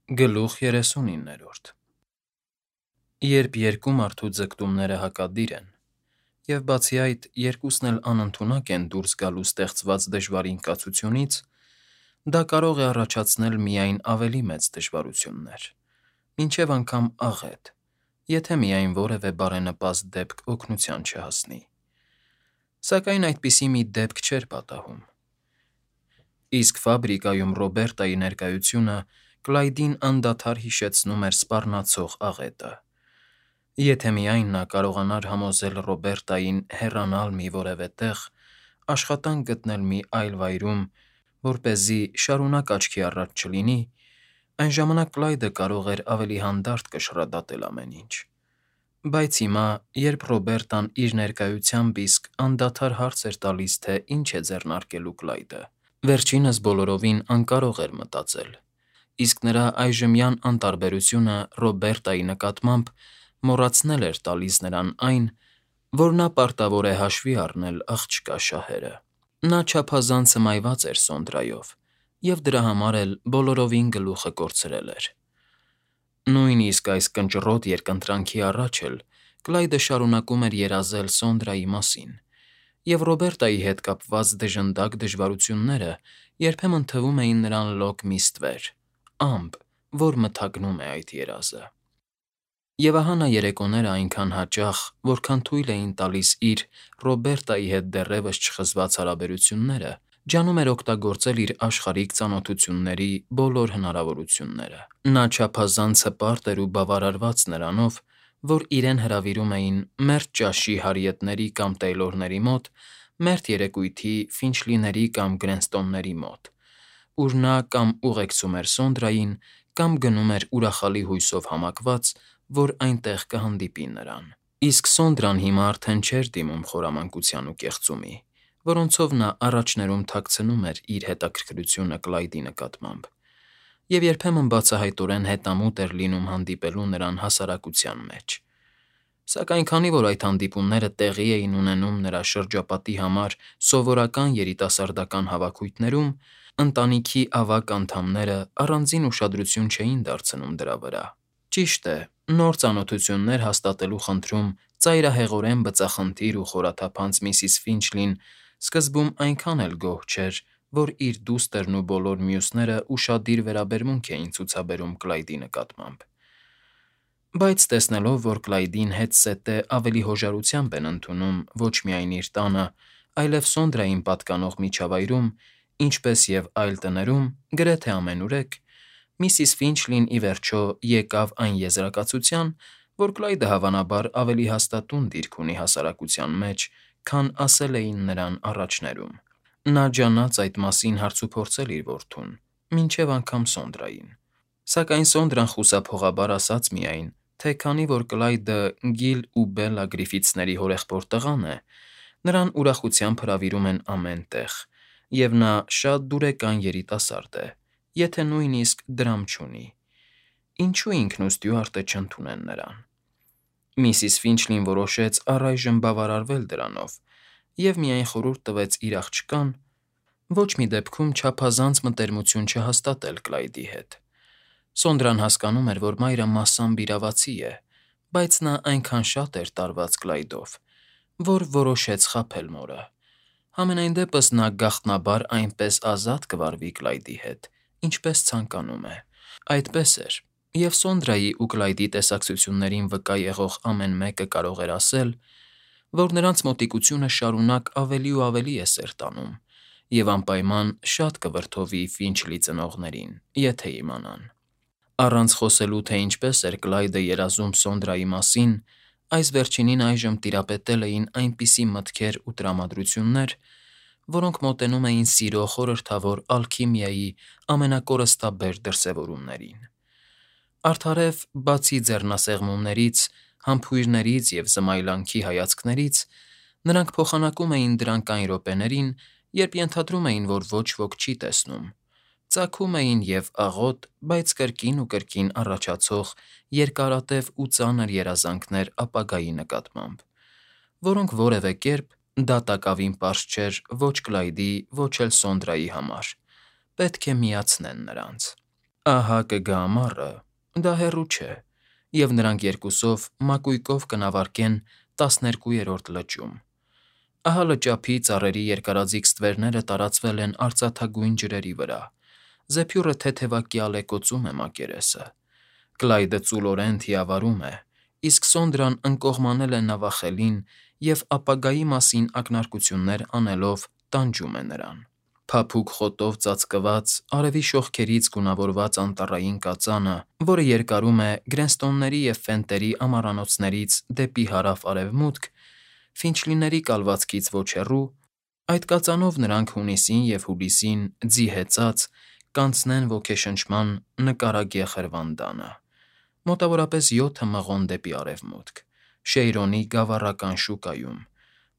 Գլուխ 39 Երբ երկու մարդու ձգտումները հակադիր են, և բացի այդ երկուսն էլ անընդունակ են դուրս գալու ստեղծված դժվարին կացությունից, դա կարող է առաջացնել միայն ավելի մեծ դժվարություններ, մինչև անգամ աղետ, եթե միայն որևէ բարենպաստ դեպք օգնության չհասնի։ Սակայն այդպիսի մի դեպք չէր պատահում, իսկ ֆաբրիկայում Ռոբերտայի ներկայությունը Կլայդին անդադար հիշեցնում էր սպառնացող աղետը։ Եթե միայն նա կարողանար համոզել Ռոբերտային հեռանալ մի որևէ տեղ, աշխատանք գտնել մի այլ վայրում, որպեսզի շարունակ աչքի առաջ չլինի, այն ժամանակ Կլայդը կարող էր ավելի հանդարտ կշռադատել ամեն ինչ։ Բայց հիմա, երբ Ռոբերտան իր ներկայությամբ իսկ անդադար հարց էր տալիս, թե ինչ է ձեռնարկելու Կլայդը, վերջինս բոլորովին անկարող էր մտածել, իսկ նրա այժմյան անտարբերությունը Ռոբերտայի նկատմամբ մոռացնել էր տալիս նրան այն, որ նա պարտավոր է հաշվի առնել աղջկա շահերը։ Նա չափազանց հմայված էր Սոնդրայով և դրա համար էլ բոլորովին գլուխը կորցրել էր։ Նույնիսկ այս կնճռոտ երկընտրանքի առաջ էլ Կլայդը շարունակում էր երազել Սոնդրայի մասին, և Ռոբերտայի հետ կապված դժնդակ դժվարությունները երբեմն թվում էին նրան լոկ մի ստվեր, ամպ, որ մթագնում է այդ երազը։ Եվ ահա նա երեկոները այնքան հաճախ, որքան թույլ էին տալիս իր Ռոբերտայի հետ դեռևս չխզված հարաբերությունները, ջանում էր օգտագործել իր աշխարհիկ ծանոթությունների բոլոր հնարավորությունները։ Նա չափազանց հպարտ էր ու բավարարված նրանով, որ իրեն հրավիրում էին մերթ ճաշի հարիետների կամ Թեյլորների մոտ, մերթ երեկույթի Ֆինչլիների կամ Գրենստոնների մոտ, ուր նա կամ ուղեկցում էր Սոնդրային, կամ գնում էր ուրախալի հույսով համակված, որ այնտեղ կհանդիպի նրան։ Իսկ Սոնդրան հիմա արդեն չէր դիմում խորամանկության ու կեղծումի, որոնցով նա առաջներում թաքցնում էր իր հետաքրքրությունը Կլայդի նկատմամբ, և երբեմն բացահայտորեն հետամուտ էր լինում հանդիպելու նրան հասարակության մեջ։ Սակայն քանի որ այդ հանդիպումները տեղի էին ունենում նրա շրջապատի համար սովորական երիտասարդական հավաքույթներում, ընտանիքի ավագ անդամները առանձին ուշադրություն չէին դարձնում դրա վրա։ Ճիշտ է, նոր ծանոթություններ հաստատելու խնդրում ծայրահեղորեն բծախնդիր ու խորաթափանց միսիս Ֆինչլին սկզբում այնքան էլ գոհ չէր, որ իր դուստրն ու բոլոր մյուսները ուշադիր վերաբերմունք էին ցուցաբերում Կլայդի նկատմամբ։ Բայց տեսնելով, որ Կլայդին հետզհետե ավելի հոժարությամբ են ընդունում ոչ միայն իր տանը, այլև Սոնդրային պատկանող միջավայրում, ինչպես և այլ տներում, գրեթե ամենուրեք, միսիս Ֆինչլին ի վերջո եկավ այն եզրակացության, որ Կլայդը հավանաբար ավելի հաստատուն դիրք ունի հասարակության մեջ, քան ասել էին նրան առաջներում։ Նա ջանաց այդ մասին հարցուփորձել իր որդուն, մինչև անգամ Սոնդրային։ Սակայն Սոնդրան խուսափողաբար ասաց միայն, թե քանի որ Կլայդը Գիլ ու Բելլա Գրիֆիթսների հորեղբոր տղան է, նրան ուրախությամբ հրավիրում են ամեն տեղ, և նա շատ դուրեկան երիտասարդ է, եթե նույնիսկ դրամ չունի, ինչու ինքն ու Ստյուարտը չընդունեն նրան։ Միսիս Ֆինչլին որոշեց առայժմ բավարարվել դրանով և միայն խորհուրդ տվեց իր աղջկան ոչ մի դեպքում չափազանց մտերմություն չհաստատել Կլայդի հետ։ Սոնդրան հասկանում էր, որ մայրը մասամբ իրավացի է, բայց նա այնքան շատ էր տարված Կլայդով, որ որոշեց խաբել մորը։ Համենայն դեպս նա գաղտնաբար այնպես ազատ կվարվի Կլայդի հետ, ինչպես ցանկանում է։ Այդպես էր, և Սոնդրայի ու Կլայդի տեսակցություններին վկա եղող ամեն մեկը կարող էր ասել, որ նրանց մոտիկությունը շարունակ ավելի ու ավելի է սեր տանում, և անպայման շատ կվրդովի Ֆինչլի ծնողներին, եթե իմանան։ Առանց խոսելու, թե ինչպես էր Կլայդը երազում Սոնդրայի մասին, այս վերջինին այժմ տիրապետել էին այնպիսի մտքեր ու տրամադրություններ, որոնք մոտենում էին սիրո խորհրդավոր ալքիմիայի ամենակորստաբեր դրսևորումներին։ Արդարև, բացի ձեռնասեղմումներից, համբույրներից և զմայլանքի հայացքներից, նրանք փոխանակում էին դրանք այն րոպեներին, երբ ենթադրում էին, որ ոչ ոք չի տեսնում, ծագում էին և աղոտ, բայց կրկին ու կրկին առաջացող երկարատև ու ծանր երազանքներ ապագայի նկատմամբ, որոնք որևէ կերպ դատակավին պարզ չէր ոչ Կլայդի, ոչ էլ Սոնդրայի համար, պետք է միացնեն նրանց։ Ահա կգա ամառը, դա հեռու չէ, և նրանք երկուսով մակույկով կնավարկեն 12-րդ լճում։ Ահա լճափի ծառերի երկարաձիգ ստվերները տարածվել են արծաթագույն ջրերի վրա, զեփյուռը թեթևակյալ է կոծում է մակերեսը, Կլայդը ծուլորեն թիավարում է, իսկ Սոնդրան ընկողմանել է նավախելին և ապագայի մասին ակնարկություններ անելով տանջում է նրան։ Փափուկ խոտով ծածկված, արևի շողքերից գունավորված անտառային կածանը, որը երկարում է Գրենստոնների և Ֆենտերի ամառանոցներից դեպի հարավ֊արևմուտք, Ֆինչլիների կալվածքից ոչ հեռու, այդ կածանով նրանք հունիսին և հուլիսին, ձի հեծած, կանցնեն ոգեշնչման նկարագեղ հրվանդանը, մոտավորապես 7 մղոն դեպի արևմուտք, Շեյրոնի գավառական շուկայում,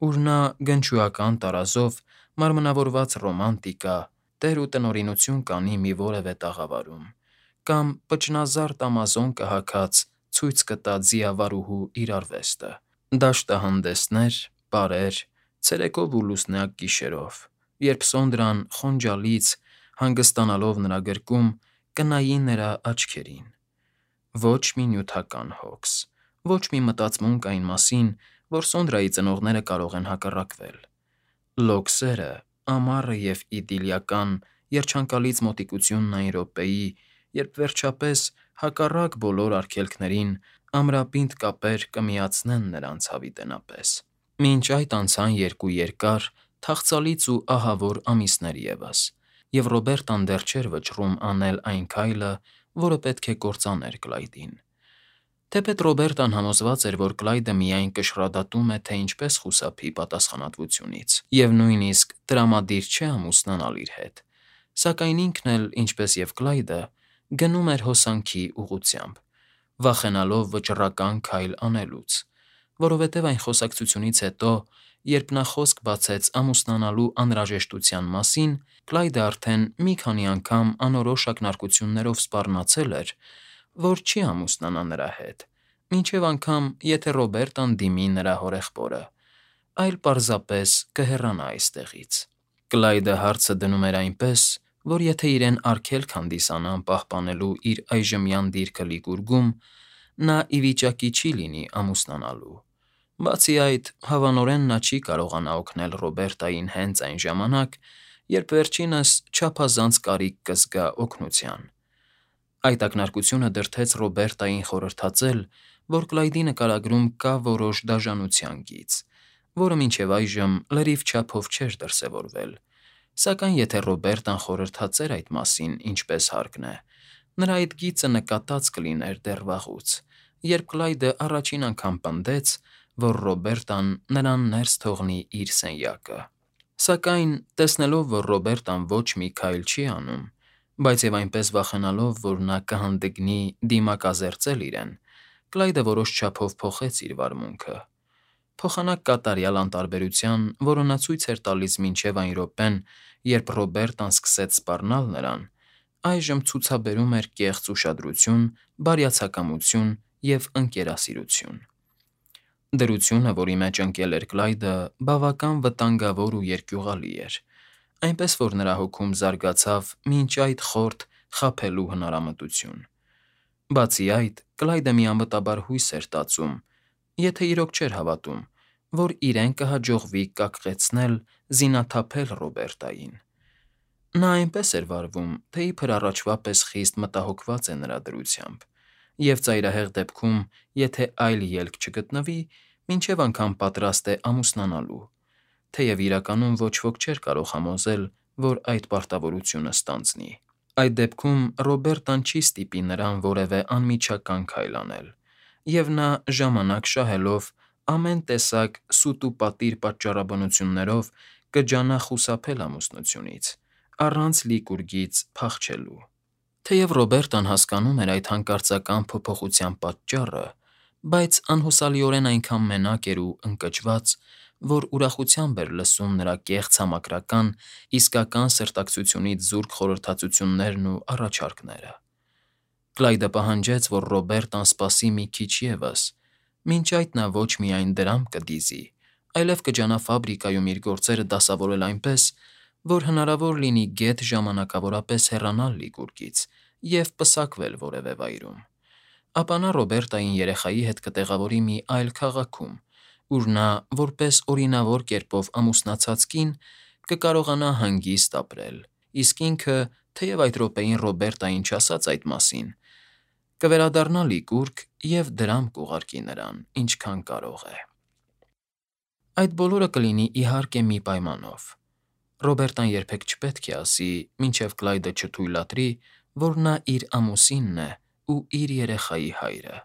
ուր նա գնչուական տարազով մարմնավորված ռոմանտիկա, տեր ու տնօրինություն կանի մի որևէ տաղավարում, կամ պճնազարդ ամազոն կհագած ցույց կտա ձիավարուհու իր արվեստը, դաշտահանդեսներ, պարեր, ցերեկով ու լուսնյակ գիշերով, երբ Սոնդրան խոնջալից, հանգստանալով նրա գրկում, կնայի նրա աչքերին։ Ոչ մի նյութական հոգս, ոչ մի մտածմունք այն մասին, որ Սոնդրայի ծնողները կարող են հակառակվել։ Լոքսերը, ամառը և իդիլիական, երջանկալից մոտիկությունն այն րոպեի, երբ վերջապես, հակառակ բոլոր արգելքներին, ամրապինդ կապեր կմիացնեն նրանց հավիտենապես։ Մինչ այդ անցան 2 երկար, թախծալից ու ահավոր ամիսներ ևս, և Ռոբերտան դեռ չէր վճռում անել այն քայլը, որը պետք է կործաներ Կլայդին։ Թեպետ Ռոբերտան համոզված էր, որ Կլայդը միայն կշռադատում է, թե ինչպես խուսափի պատասխանատվությունից, և նույնիսկ տրամադիր չէ ամուսնանալ իր հետ, սակայն ինքն էլ, ինչպես և Կլայդը, գնում էր հոսանքի ուղղությամբ, վախենալով վճռական քայլ անելուց, որովհետև այն խոսակցությունից հետո, երբ նա խոսք բացեց ամուսնանալու անհրաժեշտության մասին, Կլայդը արդեն մի քանի անգամ անորոշ ակնարկություններով սպառնացել էր, որ չի ամուսնանա նրա հետ, մինչև անգամ եթե Ռոբերտան դիմի նրա հորեղբորը, այլ պարզապես կհեռանա այստեղից։ Կլայդը հարցը դնում էր այնպես, որ եթե իրեն արգելք հանդիսանան պահպանելու իր այժմյան դիրքը Լիգուրգում, նա ի վիճակի չի լինի ամուսնանալու։ Բացի այդ, հավանորեն նա չի կարողանա օգնել Ռոբերտային հենց այն ժամանակ, երբ վերջինս չափազանց կարիք կզգա օգնության։ Այդ ակնարկությունը դրդեց Ռոբերտային խորհրդածել, որ Կլայդի նկարագրում կա որոշ դաժանության գիծ, որը մինչև այժմ լրիվ չափով չէր դրսևորվել, սակայն եթե Ռոբերտան խորհրդածեր այդ մասին ինչպես հարկն է, նրա այդ գիծը նկատած կլիներ դեռ վաղուց, երբ Կլայդը առաջին անգամ պնդեց, որ Ռոբերտան նրան ներս թողնի իր սենյակը։ Սակայն, տեսնելով, որ Ռոբերտան ոչ մի քայլ չի անում, բայց և այնպես վախենալով, որ նա կհանդգնի դիմակազերծել իրեն, Կլայդը որոշ չափով փոխեց իր վարմունքը։ Փոխանակ կատարյալ անտարբերության, որը նա ցույց էր տալիս մինչև այն րոպեն, երբ Ռոբերտան սկսեց սպառնալ նրան, այժմ ցուցաբերում էր կեղծ ուշադրություն, բարյացակամություն և ընկերասիրություն։ Դրությունը, որի մեջ ընկել էր Կլայդը, բավական վտանգավոր ու երկյուղալի էր, այնպես որ նրա հոգում զարգացավ մինչ այդ խորթ խաբելու հնարամտություն։ Բացի այդ, Կլայդը միամտաբար հույս էր տածում, եթե իրոք չէր հավատում, որ իրեն կհաջողվի կակղեցնել, զինաթափել Ռոբերտային։ Նա այնպես էր վարվում, թե իբր առաջվա պես խիստ մտահոգված է նրա դրությամբ, և ծայրահեղ դեպքում, եթե այլ ելք չգտնվի, մինչև անգամ պատրաստ է ամուսնանալու, թեև իրականում ոչ ոք չէր կարող համոզել, որ այդ պարտավորությունը ստանձնի։ Այդ դեպքում Ռոբերտան չի ստիպի նրան որևէ անմիջական քայլ անել, և նա, ժամանակ շահելով, ամեն տեսակ սուտ ու պատիր պատճառաբանություններով կջանա խուսափել ամուսնությունից, առանց Լիգուրգից փախչելու։ Թեև Ռոբերտան հասկանում էր այդ հանկարծական փոփոխության պատճառը, բայց անհուսալիորեն այնքան մենակ էր ու ընկճված, որ ուրախությամբ էր լսում նրա կեղծ համակրական, իսկական սրտակցությունից զուրկ խորհրդածություններն ու առաջարկները։ Կլայդը պահանջեց, որ Ռոբերտան սպասի մի քիչ ևս, մինչ այդ նա ոչ միայն դրամ կդիզի, այլև կջանա ֆաբրիկայում իր գործերը դասավորել այնպես, որ հնարավոր լինի գեթ ժամանակավորապես հեռանալ Լիգուրգից և պսակվել որևէ վայրում։ Ապա նա Ռոբերտային երեխայի հետ կտեղավորի մի այլ քաղաքում, ուր նա, որպես օրինավոր կերպով ամուսնացած կին, կկարողանա հանգիստ ապրել, իսկ ինքը, թեև այդ րոպեին Ռոբերտային չասաց այդ մասին, կվերադառնա լիկուրք և դրամ կուղարկի նրան, ինչքան կարող է։ Այդ բոլորը կլինի, իհարկե, մի պայմանով. Ռոբերտան երբեք չպետք է ասի, մինչև Կլայդը չթույլատրի, որ նա իր ամուսինն է ու իր երեխայի հայրը։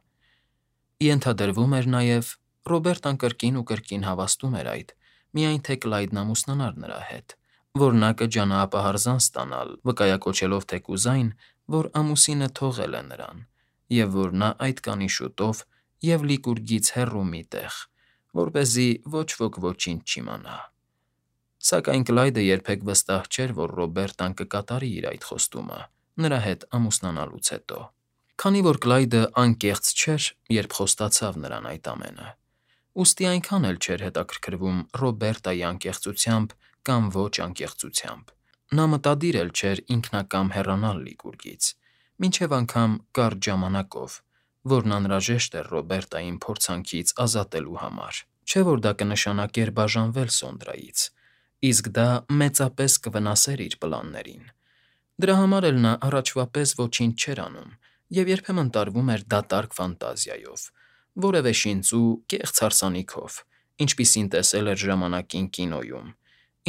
Ենթադրվում էր նաև, Ռոբերտան կրկին ու կրկին հավաստում էր այդ, միայն թե Կլայդն ամուսնանար նրա հետ, որ նա կջանաապահարզան ստանալ, վկայակոչելով թեկուզ այն, որ ամուսինը թողել է նրան, և որ նա այդ կանի շուտով և Լիկուրգից հեռու մի տեղ, որպեսզի ոչ ոք ոչինչ չիմանա։ Սակայն Կլայդը երբեք վստահ չէր, որ Ռոբերտան կկատարի իր այդ խոստումը նրա հետ ամուսնանալուց հետո, քանի որ Կլայդը անկեղծ չէր, երբ խոստացավ նրան այդ ամենը, ուստի այնքան էլ չէր հետաքրքրվում Ռոբերտայի անկեղծությամբ կամ ոչ անկեղծությամբ։ Նա մտադիր էլ չէր ինքնակամ հեռանալ Լիկուրգից, մինչև անգամ կարճ ժամանակով, որն անհրաժեշտ էր Ռոբերտային փորձանքից ազատելու համար։ Չէ՞ որ դա կնշանակեր բաժանվել Սոնդրայից, իսկ դա մեծապես կվնասեր իր պլաններին։ Դրա համար էլ նա առաջվա պես ոչինչ չէր անում և երբեմն տարվում էր դատարկ ֆանտազիայով, որևէ շինծու կեղծ հարսանիքով, ինչպիսին տեսել էր ժամանակին կինոյում,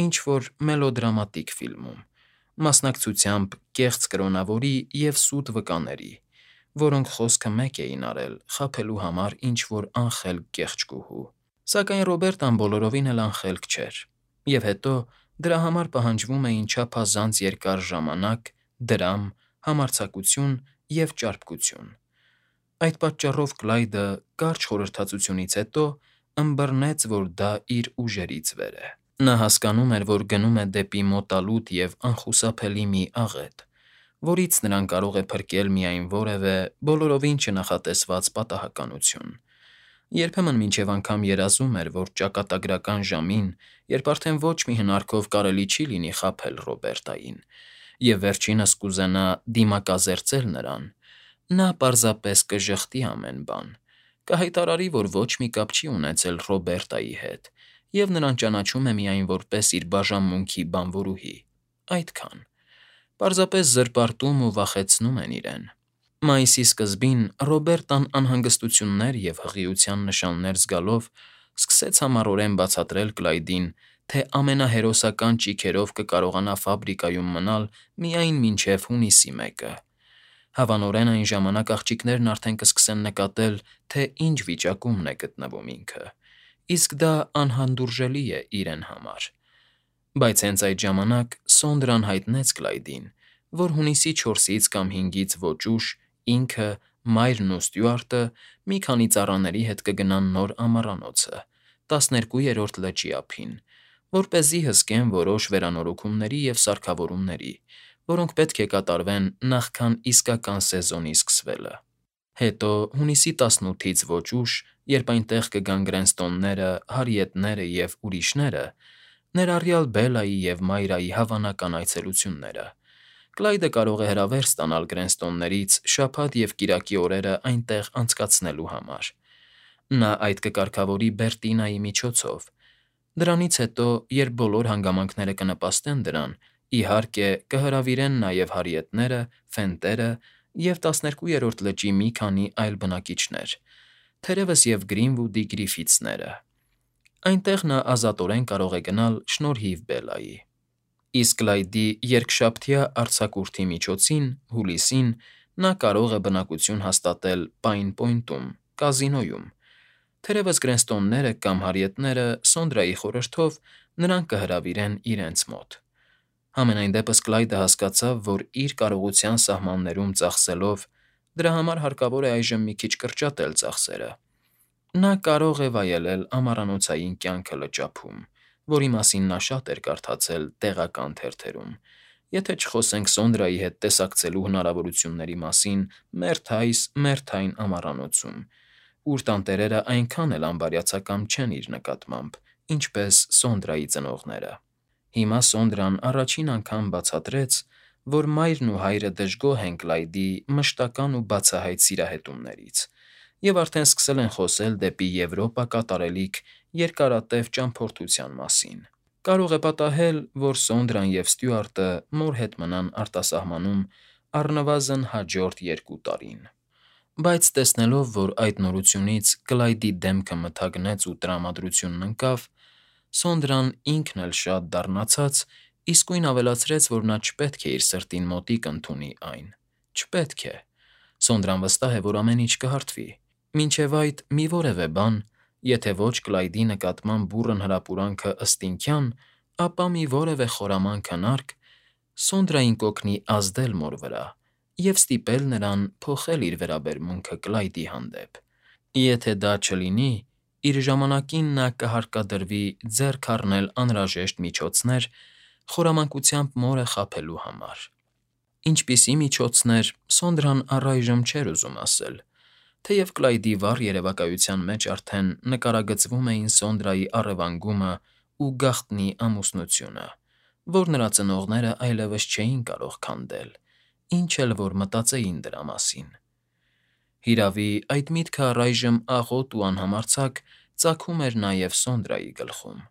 ինչ֊որ մելոդրամատիկ ֆիլմում, մասնակցությամբ կեղծ կրոնավորի և սուտ վկաների, որոնք խոսքը մեկ էին արել խաբելու համար ինչ֊որ անխելք կեղճկուհու։ Սակայն Ռոբերտան բոլորովին էլ անխելք չէր, և հետո դրա համար պահանջվում էին չափազանց երկար ժամանակ, դրամ, համարձակություն և ճարպկություն։ Այդ պատճառով Կլայդը, կարճ խորհրդածությունից հետո, ըմբռնեց, որ դա իր ուժերից վեր է։ Նա հասկանում էր, որ գնում է դեպի մոտալուտ և անխուսափելի մի աղետ, որից նրան կարող է փրկել միայն որևէ, բոլորովին չնախատեսված պատահականություն։ Երբեմն մինչև անգամ երազում էր, որ ճակատագրական ժամին, երբ արդեն ոչ մի հնարքով կարելի չի լինի խաբել Ռոբերտային, և վերջինս կուզենա դիմակազերծել նրան, նա պարզապես կժխտի ամեն բան, կհայտարարի, որ ոչ մի կապ չի ունեցել Ռոբերտայի հետ և նրան ճանաչում է միայն որպես իր բաժանմունքի բանվորուհի։ Այդքան։ Պարզապես զրպարտում ու վախեցնում են իրեն։ Մայիսի սկզբին Ռոբերտան անհանգստություններ և հղիության նշաններ զգալով սկսեց համառորեն բացատրել Կլայդին, թե ամենահերոսական ճիգերով կկարողանա ֆաբրիկայում մնալ միայն մինչև հունիսի 1-ը։ Հավանորեն այն ժամանակ աղջիկներն արդեն կսկսեն նկատել, թե ինչ վիճակումն է գտնվում ինքը, իսկ դա անհանդուրժելի է իրեն համար։ Բայց հենց այդ ժամանակ Սոնդրան հայտնեց Կլայդին, որ հունիսի 4-ից կամ 5-ից ոչ ուշ ինքը, մայրն ու Ստյուարտը մի քանի ծառաների հետ կգնան նոր ամառանոցը, 12-րդ լճի ափին, որպեսզի հսկեն որոշ վերանորոգումների և սարքավորումների, որոնք պետք է կատարվեն նախքան իսկական սեզոնի սկսվելը։ Հետո, հունիսի 18-ից ոչ ուշ, երբ այնտեղ կգան Գրենստոնները, Հարիետները և ուրիշները, ներառյալ Բելայի և Մայրայի հավանական այցելությունները, Կլայդը կարող է հրավեր ստանալ Գրենստոններից շաբաթ և կիրակի օրերը այնտեղ անցկացնելու համար։ Նա այդ կկարգավորի Բերտինայի միջոցով։ Դրանից հետո, երբ բոլոր հանգամանքները կնպաստեն դրան, իհարկե, կհրավիրեն նաև Հարիետները, Ֆենտերը և 12-րդ լճի մի քանի այլ բնակիչներ, թերևս և Գրինվուդի Գրիֆիթսները։ Այնտեղ նա ազատորեն կարող է գնալ շնորհիվ Բելայի։ Իսկ Կլայդի երկշաբթյա արձակուրդի միջոցին՝ հուլիսին, նա կարող է բնակություն հաստատել Պայն Պոյնտում, կազինոյում։ Թերևս Գրենստոնները կամ Հարիետները, Սոնդրայի խորհրդով, նրան կհրավիրեն իրենց մոտ։ Համենայն դեպս Կլայդը հասկացավ, որ իր կարողության սահմաններում ծախսելով, դրա համար հարկավոր է այժմ մի քիչ կրճատել ծախսերը։ Նա կարող է վայելել ամառանոցային կյանքը լճափում, որի մասին նա շատ էր կարդացել տեղական թերթերում, եթե չխոսենք Սոնդրայի հետ տեսակցելու հնարավորությունների մասին մերթ այն ամառանոցում, ուր տանտերերը այնքան էլ անբարյացակամ չեն իր նկատմամբ, ինչպես Սոնդրայի ծնողները։ Հիմա Սոնդրան առաջին անգամ բացատրեց, որ մայրն ու հայրը դժգոհ են Կլայդի մշտական ու բացահայտ սիրահետումներից և արդեն սկսել են խոսել դեպի Եվրոպա կատարելիք երկարատև ճամփորդության մասին։ Կարող է պատահել, որ Սոնդրան և Ստյուարտը մոր հետ մնան արտասահմանում առնվազն հաջորդ 2 տարին։ Բայց տեսնելով, որ այդ նորությունից Կլայդի դեմքը մթագնեց ու տրամադրությունն ընկավ, Սոնդրան ինքն էլ շատ դառնացած իսկույն ավելացրեց, որ նա չպետք է իր սրտին մոտիկ ընդունի այն։ Չպետք է։ Սոնդրան վստահ է, որ ամեն ինչ կհարթվի։ Մինչև այդ մի որևէ բան, եթե ոչ Կլայդի նկատմամբ բուռն հրապուրանքը ըստինքյան, ապա մի որևէ խորամանկ հնարք Սոնդրային կօգնի ազդել մոր վրա և ստիպել նրան փոխել իր վերաբերմունքը Կլայդի հանդեպ։ Եթե դա չլինի, իր ժամանակին նա կհարկադրվի ձեռք առնել անհրաժեշտ միջոցներ խորամանկությամբ մորը խաբելու համար։ Ինչպիսի՞ միջոցներ, Սոնդրան առայժմ չէր ուզում ասել, թեև Կլայդի վառ երևակայության մեջ արդեն նկարագծվում էին Սոնդրայի առևանգումն ու գաղտնի ամուսնությունը, որ նրա ծնողները այլևս չէին կարող քանդել, ինչ էլ որ մտածեին դրա մասին։ Հիրավի, այդ միտքը առայժմ աղոտ ու անհամարձակ ծագում էր նաև Սոնդրայի գլխում։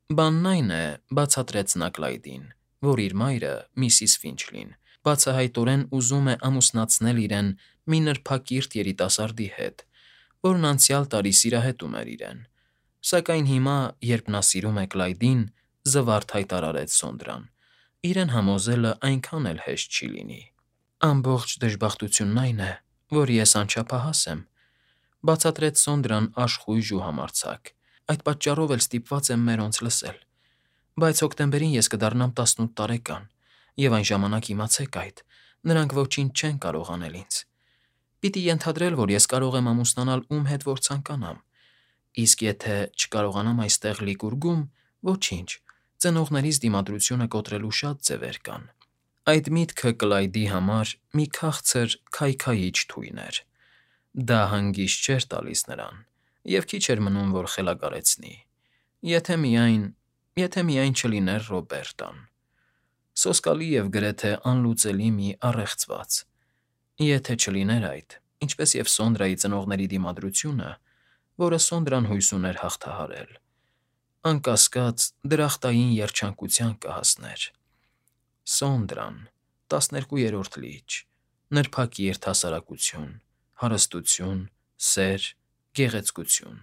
Բանն այն է, բացատրեց նա Կլայդին, որ իր մայրը՝ միսիս Ֆինչլին, բացահայտորեն ուզում է ամուսնացնել իրեն մի նրբակիրթ երիտասարդի հետ, որն անցյալ տարի սիրահետում էր իրեն, սակայն հիմա, երբ նա սիրում է Կլայդին, զվարթ հայտարարեց Սոնդրան, իրեն համոզելը այնքան էլ հեշտ չի լինի։ Ամբողջ դժբախտությունն այն է, որ ես անչափահաս եմ, բացատրեց Սոնդրան աշխույժ ու համարձակ, այդ պատճառով էլ ստիպված եմ մերոնց լսել։ Բայց հոկտեմբերին ես կդառնամ 18 տարեկան, և այն ժամանակ իմացեք այդ, նրանք ոչինչ չեն կարող անել ինձ։ Պիտի ենթադրել, որ ես կարող եմ ամուսնանալ ում հետ որ ցանկանամ, իսկ եթե չկարողանամ այստեղ լիգուրգում, ոչինչ, ծնողներիս դիմադրությունը կոտրելու շատ ձևեր կան։ Այդ միտքը Կլայդի համար մի քաղցր քայքայիչ թույն էր։ Դա հանգիստ չէր տալիս նրան, և քիչ էր մնում, որ խելագարեցնի։ Եթե միայն չլիներ Ռոբերտան։ Սոսկալի և գրեթե անլուծելի մի առեղծված։ Եթե չլիներ այդ, ինչպես և Սոնդրայի ծնողների դիմադրությունը, որը Սոնդրան հույս ուներ հաղթահարել, անկասկած, դրախտային երջանկության կհասներ։ Սոնդրան, 12-րդ լիճ, նրբակիրթ հասարակություն, հարստություն, սեր, գեղեցկություն։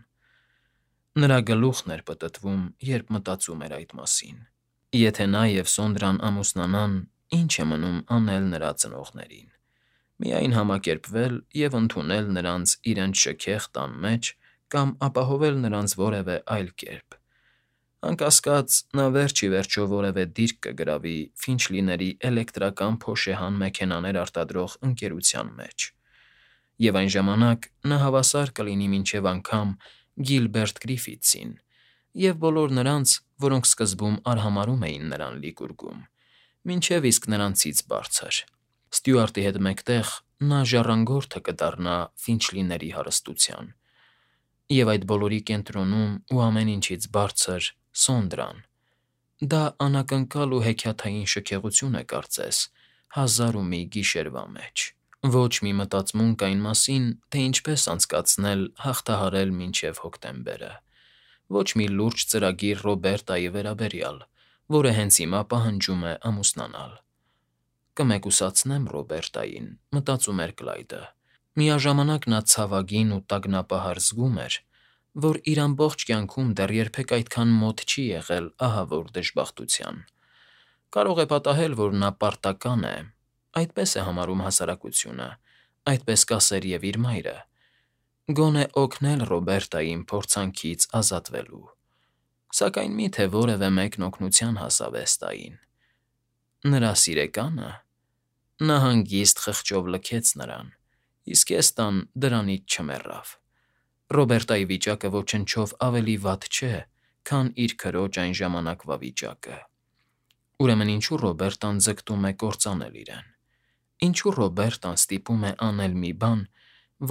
Նրա գլուխն էր պտտվում, երբ մտածում էր այդ մասին։ Եթե նա և Սոնդրան ամուսնանան, ինչ է մնում անել նրա ծնողներին։ Միայն համակերպվել և ընդունել նրանց իրենց շքեղ տան մեջ կամ ապահովել նրանց որևէ այլ կերպ։ Անկասկած, նա վերջ ի վերջո որևէ դիրք կգրավի Ֆինչլիների էլեկտրական փոշեհան մեքենաներ արտադրող ընկերության մեջ, և այն ժամանակ նա հավասար կլինի մինչև անգամ Գիլբերտ Գրիֆիթսին և բոլոր նրանց, որոնք սկզբում արհամարհում էին նրան լիգուրգում, մինչև իսկ նրանցից բարձր։ Ստյուարտի հետ մեկտեղ նա ժառանգորդը կդառնա Ֆինչլիների հարստության, և այդ բոլորի կենտրոնում ու ամեն ինչից բարձր՝ Սոնդրան։ Դա անակնկալ ու հեքիաթային շքեղություն է կարծես 1001 գիշերվա մեջ։ Ոչ մի մտածմունք այն մասին, թե ինչպես անցկացնել հաղթահարել մինչև հոկտեմբերը։ Ոչ մի լուրջ ծրագիր Ռոբերտայի վերաբերյալ, որը հենց հիմա պահանջում է ամուսնանալ։ Կմեկուսացնեմ Ռոբերտային, մտածում էր Կլայդը։ Միաժամանակ նա ցավագին ու տագնապահար զգում էր, որ իր ամբողջ կյանքում դեռ երբեք այդքան մոտ չի եղել ահավոր դժբախտության։ Կարող է պատահել, որ նա պարտական է, այդպես է համարում հասարակությունը, այդպես կասեր և իր մայրը, գոնե օգնել Ռոբերտային փորձանքից ազատվելու։ Սակայն մի՞թե որևէ մեկն օգնության հասավ Էստային։ Նրա սիրեկա՞նը։ Նա հանգիստ խղճով լքեց նրան, իսկ Էստան դրանից չմեռավ։ Ռոբերտայի վիճակը ոչնչով ավելի վատ չէ, քան իր քրոջ այն ժամանակվա վիճակը։ Ուրեմն ինչու Ռոբերտան ձգտում է կործանել իրեն։ Ինչու Ռոբերտան ստիպում է անել մի բան,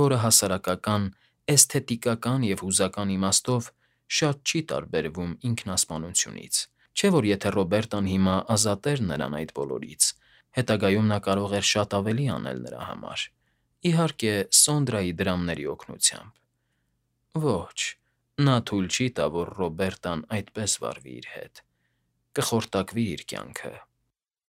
որը հասարակական, էսթետիկական և հուզական իմաստով շատ չի տարբերվում ինքնասպանությունից։ Չէ՞ որ եթե Ռոբերտան հիմա ազատեր նրան այդ բոլորից, Հետագայում նա կարող էր շատ ավելի անել նրա համար, իհարկե, Սոնդրայի դրամների օգնությամբ։ Ոչ, նա թույլ չի տա, որ Ռոբերտան այդպես վարվի իր հետ, կխորտակվի իր կյանքը։